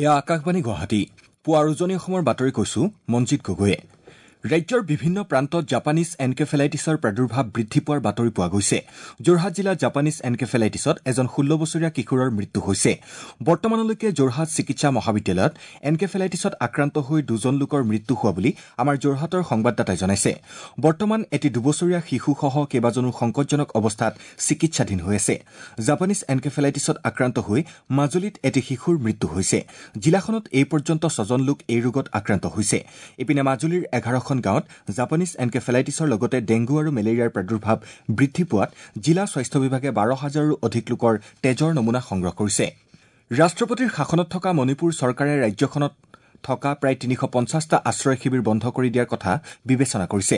এয়া আকাশবাণী গুৱাহাটী। পুৱাৰ উজনি অসমৰ বাতৰি কৈছো মঞ্জিত গগৈয়ে। ৰাজ্যৰ বিভিন্ন প্ৰান্তত জাপানীজ এনকেফেলাইটিছৰ প্ৰাদুৰ্ভাৱ বৃদ্ধি পোৱাৰ বাতৰি পোৱা গৈছে। যোৰহাট জিলাত জাপানীজ এনকেফেলাইটিছত এজন ১৬ বছৰীয়া কিশোৰৰ মৃত্যু হৈছে। বৰ্তমানলৈকে যোৰহাট চিকিৎসা মহাবিদ্যালয়ত এনকেফেলাইটিছত আক্ৰান্ত হৈ দুজন লোকৰ মৃত্যু হোৱা বুলি আমাৰ যোৰহাটৰ সংবাদদাতাই জনাইছে। বৰ্তমান এটি দুবছৰীয়া শিশুসহ কেইবাজনো সংকটজনক অৱস্থাত চিকিৎসাধীন হৈ আছে। জাপানীজ এনকেফেলাইটিছত আক্ৰান্ত হৈ মাজুলীত এটি শিশুৰ মৃত্যু হৈছে। জিলাখনত এই পৰ্যন্ত ছজন লোক এই ৰোগত আক্ৰান্ত হৈছে। ইপিনে মাজুলীৰ ১১খন গাঁৱত জাপানীজ এনকেফেলাইটিছৰ লগতে ডেংগু আৰু মেলেৰিয়াৰ প্ৰাদুৰ্ভাৱ বৃদ্ধি পোৱাত জিলা স্বাস্থ্য বিভাগে ১২ হাজাৰৰো অধিক লোকৰ তেজৰ নমুনা সংগ্ৰহ কৰিছে। ৰাষ্ট্ৰপতিৰ শাসনত থকা মণিপুৰ চৰকাৰে ৰাজ্যখনত থকা প্ৰায় ৩৫০টা আশ্ৰয় শিবিৰ বন্ধ কৰি দিয়াৰ কথা বিবেচনা কৰিছে।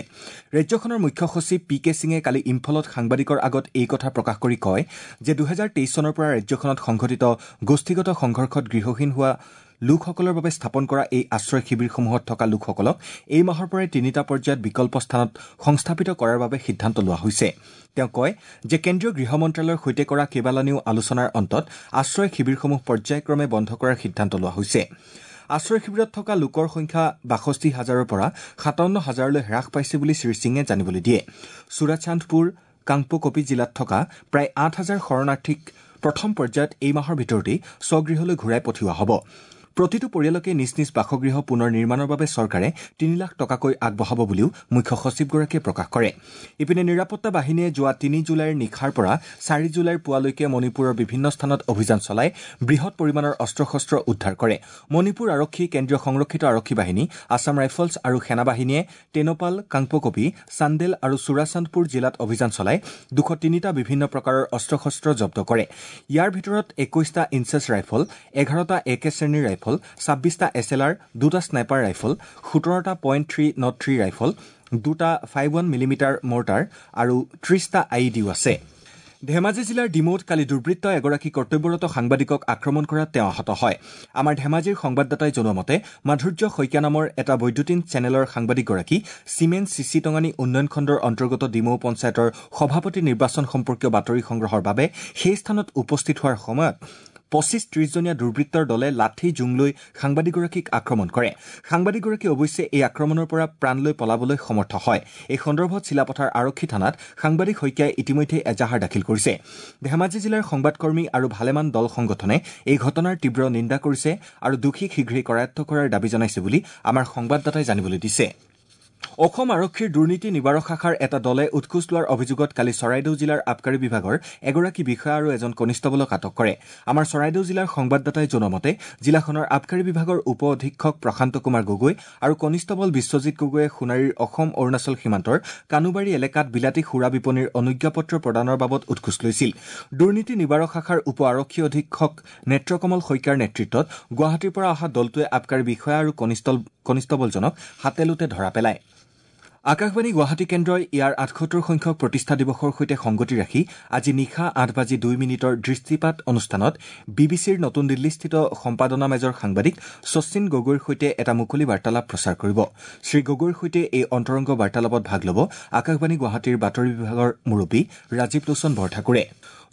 ৰাজ্যখনৰ মুখ্য সচিব পি কে সিঙে কালি ইম্ফলত সাংবাদিকৰ আগত এই কথা প্ৰকাশ কৰি কয় যে ২০২৩ চনৰ পৰা ৰাজ্যখনত সংঘটিত গোষ্ঠীগত সংঘৰ্ষত গৃহহীন হোৱা লোকসকলৰ বাবে স্থাপন কৰা এই আশ্ৰয় শিবিৰসমূহত থকা লোকসকলক এই মাহৰ পৰাই তিনিটা পৰ্যায়ত বিকল্প স্থানত সংস্থাপিত কৰাৰ বাবে সিদ্ধান্ত লোৱা হৈছে। তেওঁ কয় যে কেন্দ্ৰীয় গৃহ মন্ত্ৰালয়ৰ সৈতে কৰা কেইবালানিও আলোচনাৰ অন্তত আশ্ৰয় শিবিৰসমূহ পৰ্যায়ক্ৰমে বন্ধ কৰাৰ সিদ্ধান্ত লোৱা হৈছে। আশ্ৰয় শিবিৰত থকা লোকৰ সংখ্যা ৬২ হাজাৰৰ পৰা ৫৭ হাজাৰলৈ হ্ৰাস পাইছে বুলি শ্ৰীসিঙে জানিবলৈ দিয়ে। চুৰাচান্দপুৰ, কাংপকপি জিলাত থকা প্ৰায় ৮ হাজাৰ শৰণাৰ্থীক প্ৰথম পৰ্যায়ত এই মাহৰ ভিতৰতেই স্বগৃহলৈ ঘূৰাই পঠিওৱা হ'ব। প্ৰতিটো পৰিয়ালকে নিজ নিজ বাসগৃহ পুনৰ নিৰ্মাণৰ বাবে চৰকাৰে ৩ লাখ টকাকৈ আগবঢ়াব বুলিও মুখ্য সচিবগৰাকীয়ে প্ৰকাশ কৰে। ইপিনে নিৰাপত্তা বাহিনীয়ে যোৱা ৩ জুলাইৰ নিশাৰ পৰা ৪ জুলাইৰ পুৱালৈকে মণিপুৰৰ বিভিন্ন স্থানত অভিযান চলাই বৃহৎ পৰিমাণৰ অস্ত্ৰ শস্ত্ৰ উদ্ধাৰ কৰে। মণিপুৰ আৰক্ষী, কেন্দ্ৰীয় সংৰক্ষিত আৰক্ষী বাহিনী, আছাম ৰাইফলছ আৰু সেনাবাহিনীয়ে টেনপাল, কাংপকপি, চান্দেল আৰু চুৰাচান্দপুৰ জিলাত অভিযান চলাই ২০৩টা বিভিন্ন প্ৰকাৰৰ অস্ত্ৰ শস্ত্ৰ জব্দ কৰে। ইয়াৰ ভিতৰত ২১টা ইনচেছ ৰাইফল, ১১টা এ কে শ্ৰেণীৰ ৰাইফল, ২৬টা এছ এল আৰ, দুটা স্নাইপাৰ ৰাইফল, ১৭টা .303 ৰাইফল, দুটা 51 মিলিমিটাৰ মৰ্টাৰ আৰু ৩০টা I E ডিও আছে। ধেমাজি জিলাৰ ডিমৌত কালি দুৰ্বৃত্তই এগৰাকী কৰ্তব্যৰত সাংবাদিকক আক্ৰমণ কৰাত তেওঁ আহত হয়। আমাৰ ধেমাজিৰ সংবাদদাতাই জনোৱা মতে মাধুৰ্য শইকীয়া নামৰ এটা বৈদ্যুতিন চেনেলৰ সাংবাদিকগৰাকী চিমেন চিচি টঙানী উন্নয়ন খণ্ডৰ অন্তৰ্গত ডিমৌ পঞ্চায়তৰ সভাপতি নিৰ্বাচন সম্পৰ্কীয় বাতৰি সংগ্ৰহৰ বাবে সেই স্থানত উপস্থিত হোৱাৰ সময়ত ২৫-৩০জনীয়া দুৰ্বৃত্তৰ দলে লাঠি জোং লৈ সাংবাদিকগৰাকীক আক্ৰমণ কৰে। সাংবাদিকগৰাকী অৱশ্যে এই আক্ৰমণৰ পৰা প্ৰাণ লৈ পলাবলৈ সমৰ্থ হয়। এই সন্দৰ্ভত চিলাপথাৰ আৰক্ষী থানাত সাংবাদিক শইকীয়াই ইতিমধ্যে এজাহাৰ দাখিল কৰিছে। ধেমাজি জিলাৰ সংবাদকৰ্মী আৰু ভালেমান দল সংগঠনে এই ঘটনাৰ তীব্ৰ নিন্দা কৰিছে আৰু দোষীক শীঘ্ৰেই কৰায়ত্ব কৰাৰ দাবী জনাইছে বুলি আমাৰ সংবাদদাতাই জানিবলৈ দিছে। অসম আৰক্ষীৰ দুৰ্নীতি নিবাৰক শাখাৰ এটা দলে উৎকোচ লোৱাৰ অভিযোগত কালি চৰাইদেউ জিলাৰ আবকাৰী বিভাগৰ এগৰাকী বিষয়া আৰু এজন কনিষ্টবলক আটক কৰে। আমাৰ চৰাইদেউ জিলাৰ সংবাদদাতাই জনোৱা মতে জিলাখনৰ আবকাৰী বিভাগৰ উপ অধীক্ষক প্ৰশান্ত কুমাৰ গগৈ আৰু কনিষ্টবল বিশ্বজিৎ গগৈয়ে সোণাৰীৰ অসম অৰুণাচল সীমান্তৰ কানুবাৰী এলেকাত বিলাতী সুৰা বিপণীৰ অনুজ্ঞাপত্ৰ প্ৰদানৰ বাবদ উৎকোচ লৈছিল। দুৰ্নীতি নিবাৰক শাখাৰ উপ আৰক্ষী অধীক্ষক নেত্ৰকমল শইকীয়াৰ নেতৃত্বত গুৱাহাটীৰ পৰা অহা দলটোৱে আবকাৰী বিষয়া আৰু কনিষ্টবলজনক হাতে-লোটে ধৰা পেলায়। আকাশবাণী গুৱাহাটী কেন্দ্ৰই ইয়াৰ ৭৮ সংখ্যক প্ৰতিষ্ঠা দিৱসৰ সৈতে সংগতি ৰাখি আজি নিশা ৮ বাজি ২ মিনিটৰ দৃষ্টিপাত অনুষ্ঠানত বি বি চিৰ নতুন দিল্লীস্থিত সম্পাদনা মেজৰ সাংবাদিক শচীন গগৈৰ সৈতে এটা মুকলি বাৰ্তালাপ প্ৰচাৰ কৰিব। শ্ৰীগগৈৰ সৈতে এই অন্তৰংগ বাৰ্তালাপত ভাগ ল'ব আকাশবাণী গুৱাহাটীৰ বাতৰি বিভাগৰ মুৰব্বী ৰাজীৱ লোচন বৰঠাকুৰে।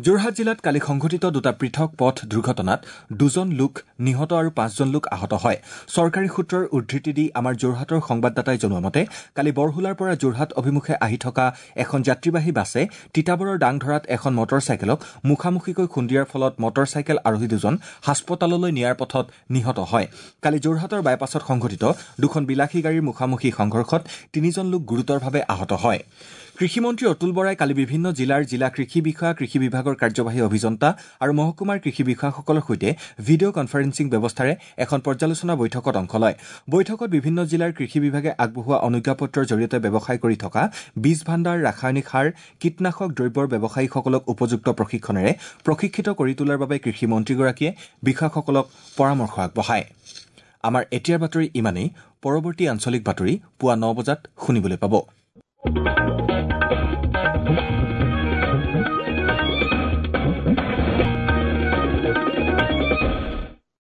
যোৰহাট জিলাত কালি সংঘটিত দুটা পৃথক পথ দুৰ্ঘটনাত দুজন লোক নিহত আৰু পাঁচজন লোক আহত হয়। চৰকাৰী সূত্ৰৰ উদ্ধৃতি দি আমাৰ যোৰহাটৰ সংবাদদাতাই জনোৱা মতে কালি বৰহোলাৰ পৰা যোৰহাট অভিমুখে আহি থকা এখন যাত্ৰীবাহী বাছে তিতাবৰৰ দাংধৰাত এখন মটৰ চাইকেলক মুখামুখিকৈ খুন্দিয়াৰ ফলত মটৰ চাইকেল আৰোহী দুজন হাস্পতাললৈ নিয়াৰ পথত নিহত হয়। কালি যোৰহাটৰ বাইপাছত সংঘটিত দুখন বিলাসী গাড়ীৰ মুখামুখি সংঘৰ্ষত তিনিজন লোক গুৰুতৰভাৱে আহত হয়। কৃষিমন্ত্ৰী অতুল বৰাই কালি বিভিন্ন জিলাৰ জিলা কৃষি বিষয়া, কৃষি বিভাগৰ কাৰ্যবাহী অভিযন্তা আৰু মহকুমাৰ কৃষি বিষয়াসকলৰ সৈতে ভিডিঅ' কনফাৰেন্সিং ব্যৱস্থাৰে এখন পৰ্যালোচনা বৈঠকত অংশ লয়। বৈঠকত বিভিন্ন জিলাৰ কৃষি বিভাগে আগবঢ়োৱা অনুজ্ঞাপত্ৰৰ জৰিয়তে ব্যৱসায় কৰি থকা বীজ ভাণ্ডাৰ, ৰাসায়নিক সাৰ, কীটনাশক দ্ৰব্যৰ ব্যৱসায়ীসকলক উপযুক্ত প্ৰশিক্ষণেৰে প্ৰশিক্ষিত কৰি তোলাৰ বাবে কৃষি মন্ত্ৰীগৰাকীয়ে বিষয়াসকলক পৰামৰ্শ আগবঢ়ায়। আমাৰ এতিয়াৰ বাতৰি ইমানেই। পৰৱৰ্তী আঞ্চলিক বাতৰি পুৱা ৯ বজাত শুনিবলৈ পাব।